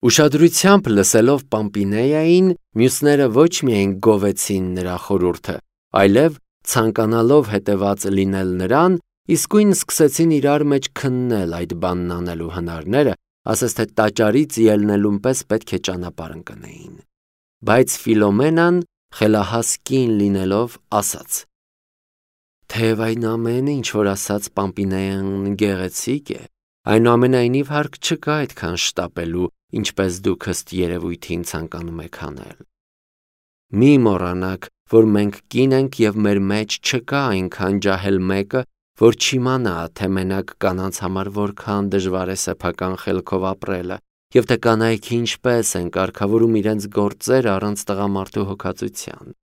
Ուշադրությամբ լսելով Պամպինեային, մյուսները ոչ միայն գովեցին նրա խորհուրդը, այլև ցանկանալով հետևած լինել նրան, իսկույն սկսեցին իրար մեջ քննել այդ բանն անելու հնարները, ասես թե տաճարից ելնելուն պես պետք է ճանապարհ ընկնեին։ Բայց Ֆիլոմենան խելահաս կին լինելով ասաց. «Թեև այն ամենը, ինչ որ ասաց Պամպինեան, գեղեցիկ է, այնուամենայնիվ հարկ չկա այդքան շտապելու, ինչպես դուք ըստ երևույթին ցանկանում եք անել։ Մի մոռանաք, որ մենք կին ենք և մեր մեջ չկա այնքան ջահել մեկը, որ չիմանա, թե մենակ կանանց համար որքան դժվար է սեփական խելքով ապրելը, և թե կանայք ինչպես են կարգավորում իրենց գործերը առանց տղամարդու հոգածության։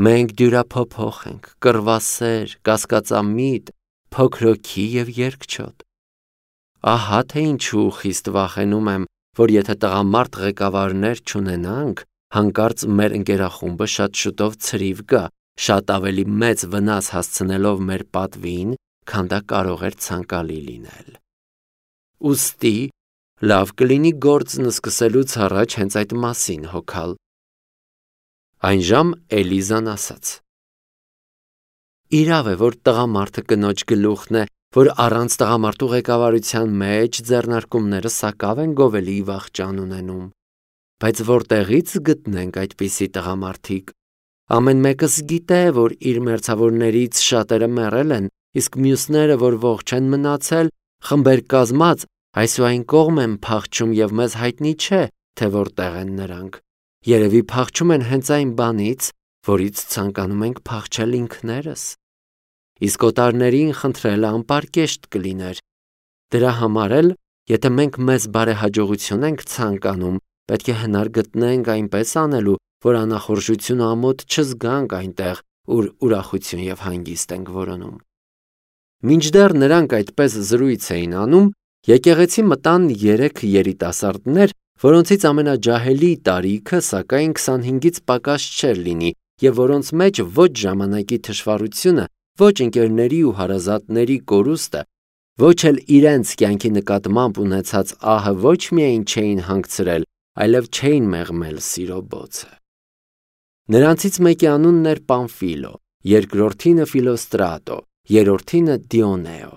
Մենք դյուրափոփոխ ենք, կռվասեր, կասկածամիտ, փոքրոքի և երկչոտ։ Ահա թե ինչու խիստ վախենում եմ, որ եթե տղամարդ ղեկավարներ չունենանք, հանկարծ մեր ընկերախումբը շատ շուտով ցրիվ գա, շատ ավելի մեծ վնաս հասցնելով մեր պատվին, քան դա կարող էր ցանկալի լինել։ Ուստի լավ կլինի գործն սկսելուց առաջ հենց այդ մասին հոգալ»։ Այնժամ Էլիզան ասաց. «Իրավ է, որ տղամարդը կնոջ գլուխն է, որ առանց տղամարդու ղեկավարության մեջ ձեռնարկումները սակավ են գովելի վախճան ունենում, բայց որտեղից գտնենք այդպիսի տղամարդիկ։ Ամեն մեկս գիտե, որ իր մերձավորներից շատերը մեռել են, իսկ մյուսները, որ ողջ են մնացել, խմբեր կազմած այսուայն կողմ են փախչում և մեզ հայտնի չէ, թե որտեղ են նրանք։ Երևի փախչում են հենց այն բանից, որից ցանկանում ենք փախչել ինքներս։ Իսկ օտարներին խնդրելը անպարկեշտ կլիներ։ Դրա համար էլ, եթե մենք մեզ բարեհաջողություն ենք ցանկանում, պետք է հնար գտնենք այնպես անելու, որ անախորժությունը ամոթ չզգանք այնտեղ, ուր ուրախություն և հանգիստ ենք որոնում»։ Մինչդեռ նրանք այդպես զրույց էին անում, եկեղեցի մտան 3 երիտասարդներ, որոնցից ամենաջահելի տարիքը սակայն 25-ից պակաս չէր լինի և որոնց մեջ ոչ ժամանակի թշվառությունը, ոչ ընկերների ու հարազատների կորուստը, ոչ էլ իրենց կյանքի նկատմամբ ունեցած ահը ոչ միայն չէին հանգցրել, այլև չէին մեղմել սիրո բոցը։ Նրանցից մեկի անունն էր Պամֆիլո, երկրորդինը Ֆիլոստրատո, երրորդինը Դիոնեո։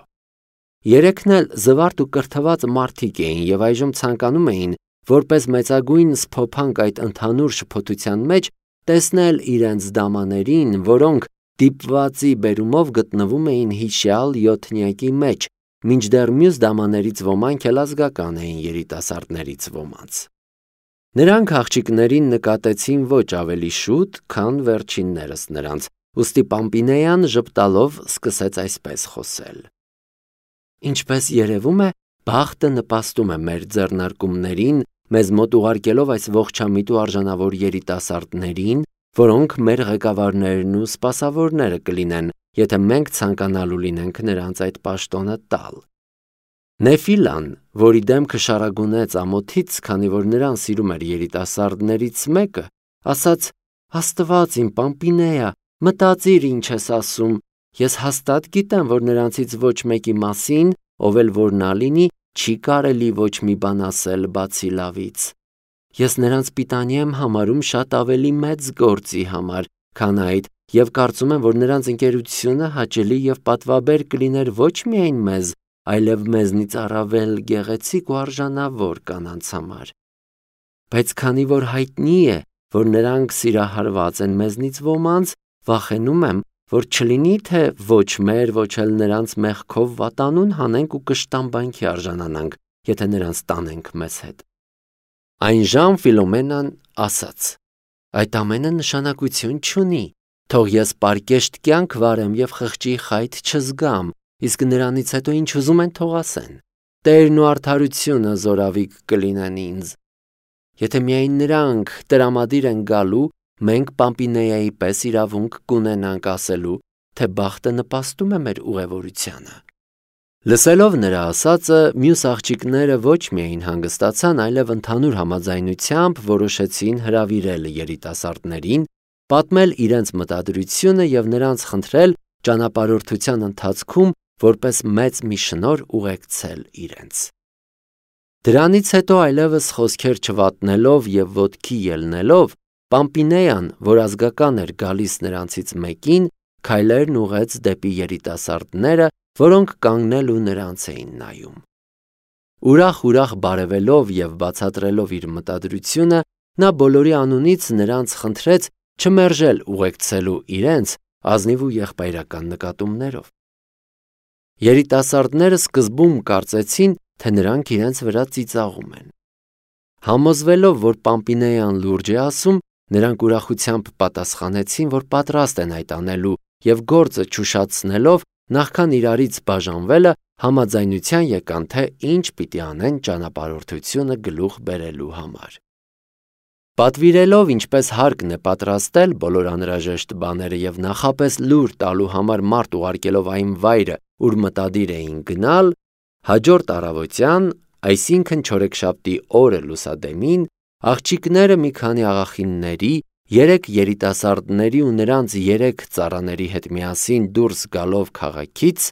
Երեքն էլ զվարթ ու կրթված մարդիկ էին և այժմ ցանկանում էին, որպես մեծագույն սփոփանք այդ ընդհանուր շփոթության մեջ, տեսնել իրենց դամաներին, որոնք դիպվածի բերումով գտնվում էին հիշյալ յոթնյակի մեջ, մինչդեռ մյուս դամաներից ոմանք էլ ազգական էին երիտասարդներից ոմանց։ Նրանք աղջիկներին նկատեցին ոչ ավելի շուտ, քան վերջիններս նրանց, ուստի Պամպինեան ժպտալով սկսեց այսպես խոսել. «Ինչպես երևում է, բախտը նպաստում է մեր ձեռնարկումներին, մեզ մոտ ուղարկելով այս ողջամիտ ու արժանավոր երիտասարդներին, որոնք մեր ղեկավարներն ու սպասավորները կլինեն, եթե մենք ցանկանալու լինենք նրանց այդ պաշտոնը տալ»։ Նեֆիլան, որի դեմքը շարագունեց ամոթից, քանի որ նրան սիրում էր երիտասարդներից մեկը, ասաց. «Աստված իմ, Պամպինեա, մտածիր ինչ ես ասում, ես հաստատ գիտեմ, որ նրանցից ոչ մեկի մասին, ով էլ որ նա լինի, չի կարելի ոչ մի բան ասել բացի լավից։ Ես նրանց պիտանի եմ համարում շատ ավելի մեծ գործի համար, քան այդ, և կարծում եմ, որ նրանց ընկերությունը հաճելի և պատվաբեր կլիներ ոչ միայն մեզ, այլև մեզնից առավել գեղեցիկ ու արժանավոր կանանց համար։ Բայց քանի որ հայտնի է, որ նրանք սիրահարված են մեզնից ոմանց, վախենում եմ, որ չլինի, թե ոչ մեր, ոչ էլ նրանց մեղքով վատանուն հանենք ու կշտամբանքի արժանանանք, եթե նրանց տանենք մեզ հետ»։ Այնժամ Ֆիլոմենան ասաց. «Այդ ամենը նշանակություն չունի, թող ես պարկեշտ կյանք վարեմ և խղճի խայթ չզգամ, իսկ նրանից հետո ինչ ուզում են թող ասեն։ Տերն ու արդարությունը զորավիք կլինեն ինձ։ Եթե միայն նրանք տրամադիր են գալու, մենք Պամպինեայի պես իրավունք կունենանք ասելու, թե բախտը նպաստում է մեր ուղևորությանը»։ Լսելով նրա ասածը, մյուս աղջիկները ոչ միայն հանգստացան, այլև ընդհանուր համաձայնությամբ որոշեցին հրավիրել երիտասարդներին, պատմել իրենց մտադրությունը և նրանց խնդրել ճանապարհորդության ընթացքում որպես մեծ մի շնորհ ուղեկցել իրենց։ Դրանից հետո այլևս խոսքեր չվատնելով և ոտքի ելնելով, Պամպինեան, որ ազգական էր գալիս նրանցից մեկին, քայլերն ուղղեց դեպի երիտասարդները, որոնք կանգնել ու նրանց էին նայում։ Ուրախ բարևելով և բացատրելով իր մտադրությունը, նա բոլորի անունից նրանց խնդրեց չմերժել ուղեկցելու իրենց ազնիվ ու եղբայրական նկատումներով։ Երիտասարդները սկզբում կարծեցին, թե նրանք իրենց վրա ծիծաղում են։ Համոզվելով, որ Պամպինեան լուրջ է ասում, նրանք ուրախությամբ պատասխանեցին, որ պատրաստ են այդ անելու և գործը չուշացնելով, նախքան իրարից բաժանվելը, համաձայնության եկան, թե ինչ պիտի անեն ճանապարհորդությունը գլուխ բերելու համար։ Պատվիրելով, ինչպես հարկն է պատրաստել բոլոր անհրաժեշտ բաները և նախապես լուր տալու համար մարդ ուղարկելով այն վայրը, ուր մտադիր էին գնալ, հաջորդ առավոտյան, այսինքն չորեքշաբթի օրը լուսադեմին, աղջիկները մի քանի աղախինների, 3 երիտասարդների ու նրանց 3 ծառաների հետ միասին դուրս գալով քաղաքից,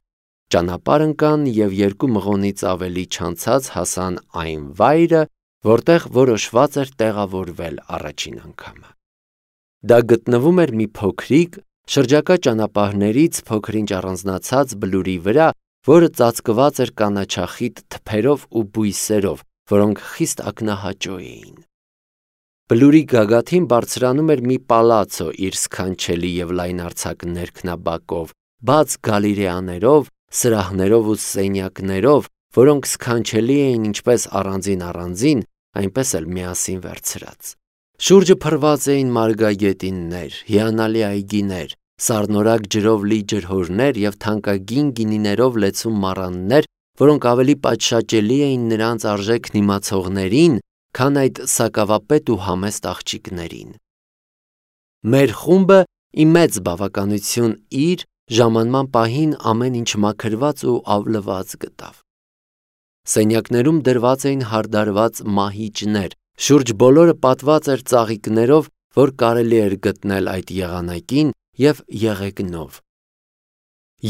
ճանապարհ ընկան և 2 մղոնից ավելի չանցած հասան այն վայրը, որտեղ որոշված էր տեղավորվել առաջին անգամը։ Դա գտնվում էր մի փոքրիկ, շրջակա ճանապարհներից փոքր-ինչ առանձնացած բլուրի վրա, որը ծածկված էր կանաչախիտ թփերով ու բույսերով, որոնք խիստ ակնահաճո էին։ Բլուրի գագաթին բարձրանում էր մի պալացո իր սքանչելի և լայնարձակ ներքնաբակով, բաց գալերեաներով, սրահներով ու սենյակներով, որոնք սքանչելի էին ինչպես առանձին, այնպես էլ միասին վերցրած։ Շուրջը փռված էին մարգագետիններ, հիանալի այգիներ, սառնորակ ջրով լի ջրհորներ և թանկագին գինիներով լեցուն մառաններ, որոնք ավելի պատշաճելի էին նրանց արժեքն իմացողներին, քան այդ սակավապետ ու համեստ աղջիկներին։ Մեր խումբը ի մեծ բավականություն իր ժամանման պահին ամեն ինչ մաքրված ու ավլված գտավ։ Սենյակներում դրված էին հարդարված մահիճներ, շուրջ բոլորը պատված էր ծաղիկներով, որ կարելի էր գտնել այդ եղանակին և եղեգնով։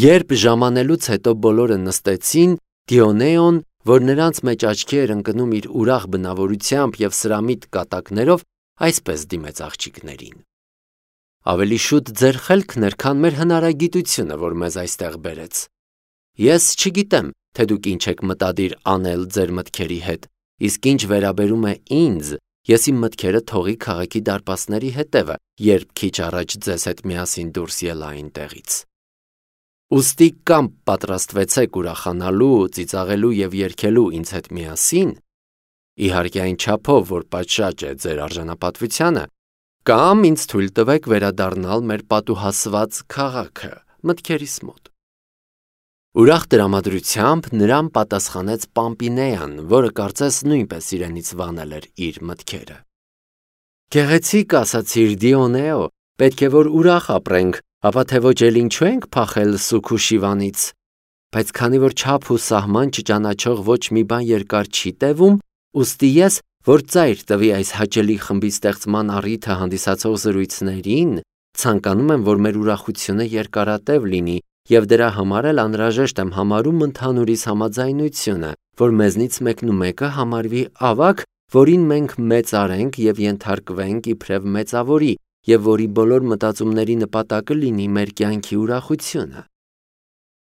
Երբ ժամանելուց հետո բոլորը նստեցին, Դիոնեոն, որ նրանց մեջ աչքի էր ընկնում իր ուրախ բնավորությամբ և սրամիտ կատակներով, այսպես դիմեց աղջիկներին. «Ավելի շուտ ձեր խելքն էր, քան մեր հնարագիտությունը, որ մեզ այստեղ բերեց։ Ես չգիտեմ, թե դուք ինչ եք մտադիր անել ձեր մտքերի հետ, իսկ ինչ վերաբերում է ինձ, ես իմ մտքերը թողի քաղաքի դարպասների հետևը, երբ քիչ առաջ ձեզ հետ միասին դուրս ելա այնտեղից։ Ուստի կամ պատրաստվեցեք ուրախանալու, ծիծաղելու և երգելու ինձ հետ միասին, իհարկե այն չափով, որ պատշաճ է ձեր արժանապատվությանը, կամ ինձ թույլ տվեք վերադառնալ մեր պատուհասված քաղաքը, մտքերիս մոտ»։ Ուրախ տրամադրությամբ նրան պատասխանեց Պամպինեան, որը կարծես նույնպես իրենից վանել էր իր մտքերը։ «Գեղեցիկ ասացիր, Դիոնեո, պետք է որ ուրախ ապրենք, ապա թե ոչ էլ ինչու ենք փախել սուգ ու շիվանից, բայց քանի որ չափ ու սահման չճանաչող ոչ մի բան երկար չի տևում, ուստի ես, որ ծայր տվի այս հաճելի խմբի ստեղծման առիթը հանդիսացող զրույցներին, ցանկանում եմ, որ մեր ուրախությունը երկարատև լինի և դրա համար էլ անհրաժեշտ եմ համարում ընդհանուրիս համաձայնությունը, որ մեզնից մեկնումեկը համարվի ավագ, որին մենք մեծարենք և ենթարկվենք իբրև մեծավորի, և որի բոլոր մտածումների նպատակը լինի մեր կյանքի ուրախությունը։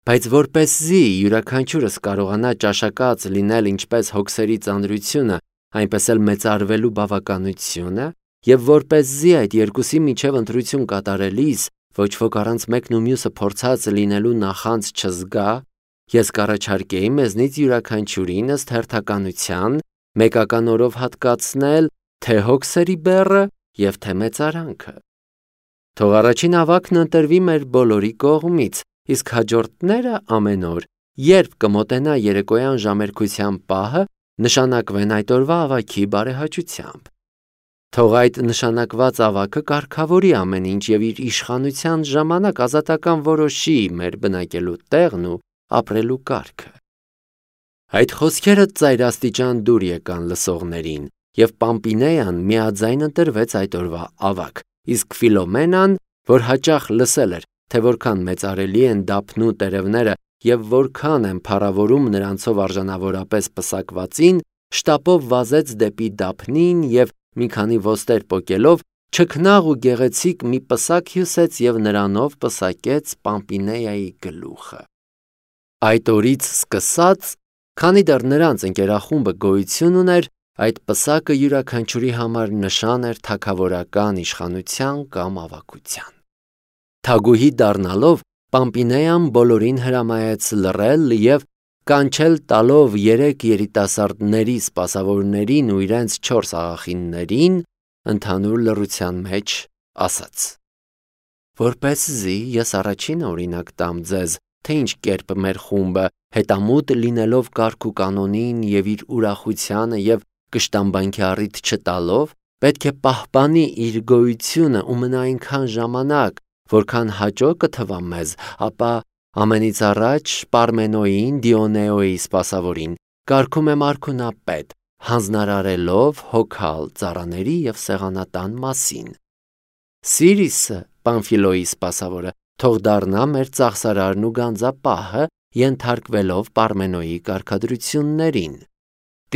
Բայց որպեսզի յուրաքանչյուրս կարողանա ճաշակած լինել ինչպես հոգսերի ծանրությունը, այնպես էլ մեծարվելու բավականությունը, և որպեսզի այդ երկուսի միջև ընտրություն կատարելիս ոչ ոք առանց մեկն ու մյուսը փորձած լինելու նախանձ չզգա, ես կառաջարկեի մեզնից յուրաքանչյուրին ըստ հերթականության մեկական օրով հատկացնել թե հոգսերի բեռը և թե մեծարանքը։ Թող առաջին ավագն ընտրվի մեր բոլորի կողմից, իսկ հաջորդները ամեն օր, երբ կմոտենա երեկոյան ժամերգության պահը, նշանակվեն այդ օրվա ավագի բարեհաճությամբ։ Թող այդ նշանակված ավագը կարգավորի ամեն ինչ և իր իշխանության ժամանակ ազատական որոշի մեր բնակելու տեղն ու ապրելու կարգը»։ Այդ խոսքերը ծայրաստիճան դուր եկան լսողներին, և Պամպինեան միաձայն ընտրվեց այդ օրվա ավագ, իսկ Ֆիլոմենան, որ հաճախ լսել էր, թե որքան մեծարելի են դափնու տերևները և որքան են փառավորում նրանցով արժանավորապես պսակվածին, շտապով վազեց դեպի Դափնին և մի քանի ոստեր պոկելով չքնաղ ու գեղեցիկ մի պսակ հյուսեց և նրանով պսակեց Պամպինեայի գլուխը։ Այդ օրից սկսած, քանի դեռ նրանց ընկերախումբը գոյություն ուներ, այդ պսակը յուրաքանչյուրի համար նշան էր թագավորական իշխանության կամ ավագության։ Թագուհի դառնալով, Պամպինեան բոլորին հրամայեց լռել և կանչել տալով 3 երիտասարդների սպասավորներին ու իրենց 4 աղախիններին, ընդհանուր լռության մեջ ասաց. «Որպեսզի ես առաջինը օրինակ տամ ձեզ, թե ինչ կերպ մեր խումբը, հետամուտ լինելով կարգ ու կանոնին և իր ուրախությանը և կշտամբանքի առիթ չտալով, պետք է պահպանի իր գոյությունը ու մնա այնքան ժամանակ, որքան հաճո կթվա մեզ, ապա ամենից առաջ Պարմենոյին, Դիոնեոյի սպասավորին, կարգում եմ արքունապետ, հանձնարարելով հոգալ ծառաների և սեղանատան մասին։ Սիրիսը, Պամֆիլոյի սպասավորը, թող դառնա մեր ծախսարարն ու գանձապահը, ենթարկվելով Պարմենոյի կարգադրություններին։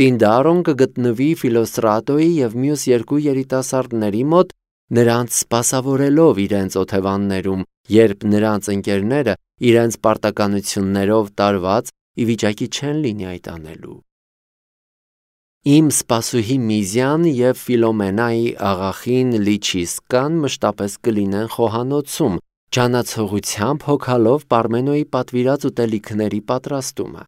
Տինդարոն կգտնվի Ֆիլոստրատոյի և մյուս 2 երիտասարդների մոտ, նրանց սպասավորելով իրենց օթևաններում, երբ նրանց ընկերները իրենց պարտականություններով տարված ի վիճակի չեն լինի այդ անելու։ Իմ սպասուհի Միզյան և Ֆիլոմենայի աղախին Լիչիսկան մշտապես կլինեն խոհանոցում, ջանացողությամբ հոգալով Պարմենոյի պատվիրած ուտելիքների պատրաստումը։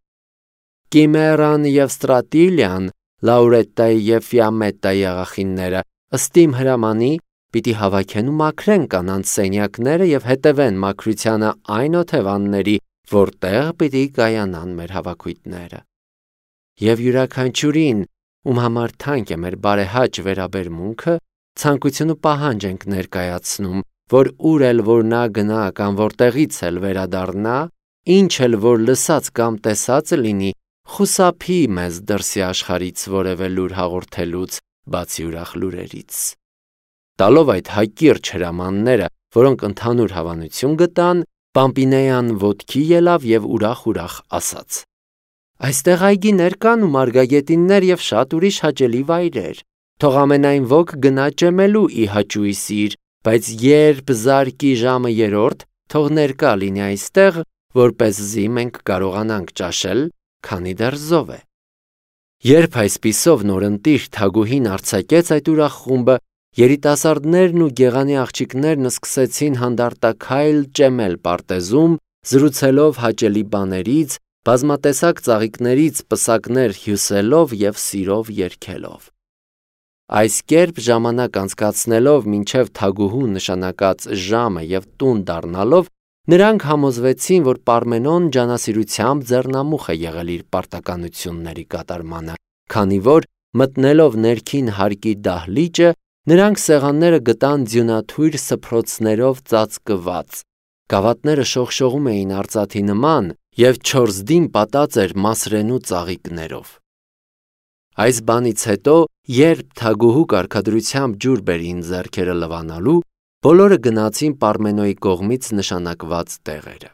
Կիմերան և Ստրատիլիան, Լաուրետտայի և Ֆիամետտայի աղախինները, ըստ իմ հրամանի, պիտի հավաքեն ու մաքրեն կանանց սենյակները և հետևեն մաքրությանը այն օթևանների, որտեղ պիտի կայանան մեր հավաքույթները։ Եվ յուրաքանչյուրին, ում համար թանկ է մեր բարեհաճ վերաբերմունքը, ցանկություն ու պահանջ ենք ներկայացնում, որ ուր էլ որ նա գնա կամ որտեղից էլ վերադառնա, ինչ էլ որ լսած կամ տեսած լինի, խուսափի մեզ դրսի աշխարհից որևէ լուր հաղորդելուց, բացի ուրախ լուրերից։ Տալով այդ հակիրճ հրամանները, որոնք ընդհանուր հավանություն գտան, Պամպինեան ոտքի ելավ և ուրախ ասաց. «Այստեղ այգիներ կան ու մարգագետիններ և շատ ուրիշ հաճելի վայրեր, թող ամենայն ոք գնա ճեմելու ի հաճույի սիր, բայց երբ զարկի ժամը 3, թող ներկա լինի այստեղ, որպեսզի մենք կարողանանք ճաշել, քանի դեռ զով է»։ Երբ այսպիսով նորընտիր թագուհին արձակեց այդ ուրախ խումբը, երիտասարդներն ու գեղանի աղջիկներն սկսեցին հանդարտաքայլ ճեմել պարտեզում, զրուցելով հաճելի բաներից, բազմատեսակ ծաղիկներից պսակներ հյուսելով և սիրով երգելով։ Այս կերպ ժամանակ անցկացնելով մինչև թագուհու նշանակած ժամը և տուն դառնալով, նրանք համոզվեցին, որ Պարմենոն ջանասիրությամբ ձեռնամուխ է եղել իր պարտականությունների կատարմանը, քանի որ մտնելով ներքին հարկի դահլիճը, նրանք սեղանները գտան ձյունաթույր սփռոցներով ծածկված, գավաթները շողշողում էին արծաթի նման և չորզդին պատած էր մասրենու ծաղիկներով։ Այս բանից հետո, երբ թագուհու կարգադրությամբ ջուր բերին ձեռքերը լվանալու, բոլորը գնացին Պարմենոյի կողմից նշանակված տեղերը։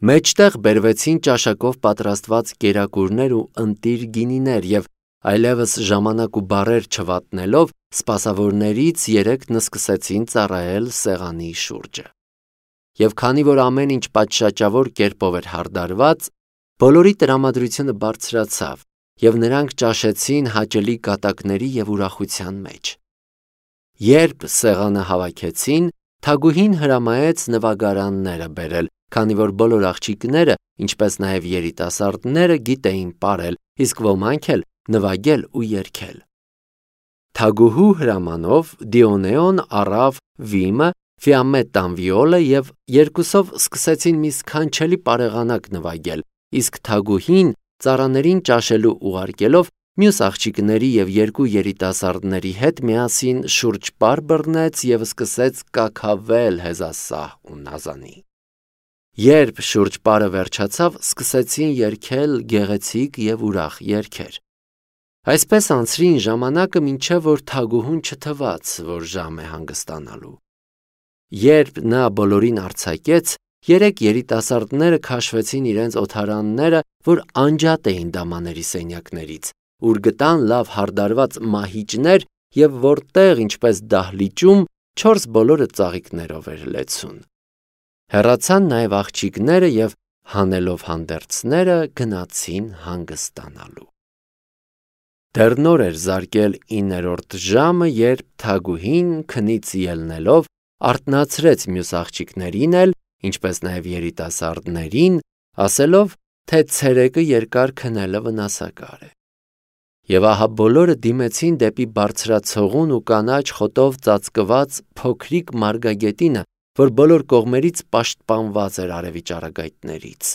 Մեջտեղ բերվեցին ճաշակով պատրաստված կերակուրներ ու ընտիր գինիներ և այլևս ժամանակ ու բառեր չվատնելով, սպասավորներից 3-ն սկսեցին ծառայել սեղանի շուրջը։ Եվ քանի որ ամեն ինչ պատշաճավոր կերպով էր հարդարված, բոլորի տրամադրությունը բարձրացավ, և նրանք ճաշեցին հաճելի կատակների և ուրախության մեջ։ Երբ սեղանը հավաքեցին, թագուհին հրամայեց նվագարանները բերել, քանի որ բոլոր աղջիկները, ինչպես նաև երիտասարդները գիտեին պարել, իսկ ոմանք էլ նվագել ու երգել։ Թագուհու հրամանով Դիոնեոն առավ վիմը, Ֆիամետտան վիոլը և երկուսով սկսեցին մի սքանչելի պարեղանակ նվագել, իսկ թագուհին ծառաներին ճաշելու ուղարկելով, մյուս աղջիկների և 2 երիտասարդների հետ միասին շուրջպար բռնեց և սկսեց կաքավել հեզասահ ու նազանի։ Երբ շուրջպարը վերջացավ, սկսեցին երգել գեղեցիկ և ուրախ երգեր։ Այսպես անցրին ժամանակը, մինչև որ թագուհուն չթվաց, որ ժամ է հանգստանալու։ Երբ նա բոլորին արձակեց, 3 երիտասարդները քաշվեցին իրենց օթարանները, որ անջատ էին դամաների սենյակներից, ուր գտան լավ հարդարված մահիճներ և որտեղ, ինչպես դահլիճում, 4 բոլորը ծաղիկներով էր լեցուն։ Հեռացան նաև աղջիկները և հանելով հանդերձները գնացին հանգստանալու։ Դեռ նոր էր զարկել 9-րդ ժամը, երբ Թագուհին քնից ելնելով արթնացրեց մյուս աղջիկներին էլ, ինչպես նաև երիտասարդներին, ասելով, թե ցերեկը երկար քնելը վնասակար է։ Եվ ահա բոլորը դիմեցին դեպի բարձրացողուն ու կանաչ խոտով ծածկված փոքրիկ մարգագետինը, որ բոլոր կողմերից պաշտպանված էր արևի ճառագայթներից։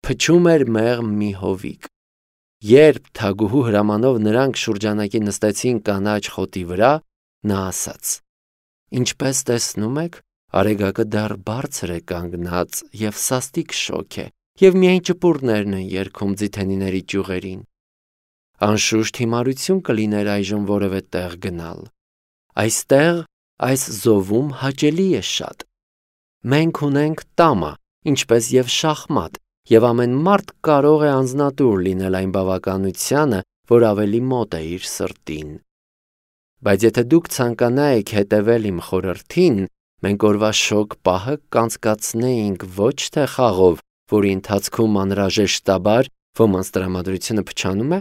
Փչում էր մեղմ մի հովիկ։ Երբ Թագուհու հրամանով նրանք շուրջանակի նստեցին կանաչ խոտի վրա, նա ասաց. «Ինչպես տեսնում եք, արեգակը դեռ բարձր է կանգնած և սաստիկ շոգ է, և միայն ճպուրներն են երգում ձիթենիների ճյուղերին։ Անշուշտ հիմարություն կլիներ այժմ որևէ տեղ գնալ։ Այստեղ, այս զովում հաճելի է շատ։ Մենք ունենք տամա, ինչպես և շախմատ, և ամեն մարդ կարող է անձնատուր լինել այն բավականությանը, որ ավելի մոտ է իր սրտին։ Բայց եթե դուք ցանկանայիք հետևել իմ խորհրդին, մենք օրվա շոգ պահը կանցկացնեինք ոչ թե խաղով, որի ընթացքում անհրաժեշտաբար ոմանց տրամադրությունը փչանում է,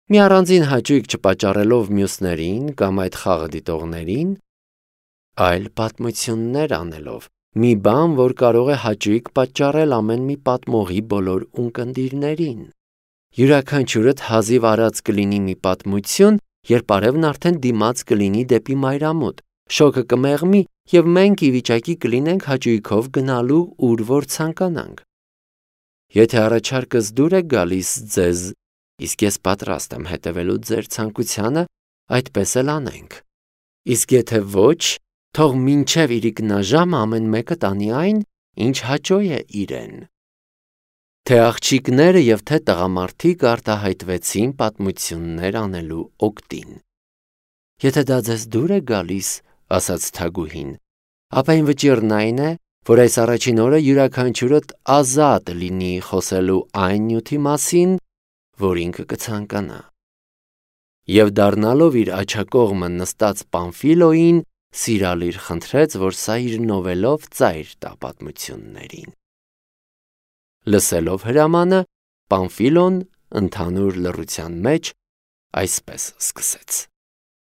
մի առանձին հաճույք չպատճառելով մյուսներին կամ այդ խաղը դիտողներին, այլ պատմություններ անելով, մի բան, որ կարող է հաճույք պատճառել ամեն մի պատմողի բոլոր ունկնդիրներին։ Յուրաքանչյուրդ հազիվ արած կլինի մի պատմություն, երբ արևն արդեն դիմաց կլինի դեպի մայրամուտ, շոգը կմեղմի, և մենք ի վիճակի կլինենք հաճույքով գնալու ուր որ ցանկանանք։ Եթե առաջարկս դուր է գալիս ձեզ, իսկ ես պատրաստ եմ հետևելու ձեր ցանկությանը, այդպես էլ անենք։ Իսկ եթե ոչ, թող մինչև իրիկնաժամը ամեն մեկը տանի այն, ինչ հաճո է իրեն»։ Թե աղջիկները և թե տղամարդիկ արտահայտվեցին պատմություններ անելու օգտին։ «Եթե դա ձեզ դուր է գալիս, — ասաց Թագուհին, — ապա իմ վճիռն այն է, որ այս առաջին օրը յուրաքանչյուրդ ազատ լինի խոսելու այն նյութի մասին, որ ինքը կցանկանա»։ Եվ դառնալով իր աջակողմը նստած Պամֆիլոյին, սիրալիր խնդրեց, որ սա իր նովելով ծայր տա պատմություններին։ Լսելով հրամանը, Պամֆիլոն ընդհանուր լռության մեջ այսպես սկսեց.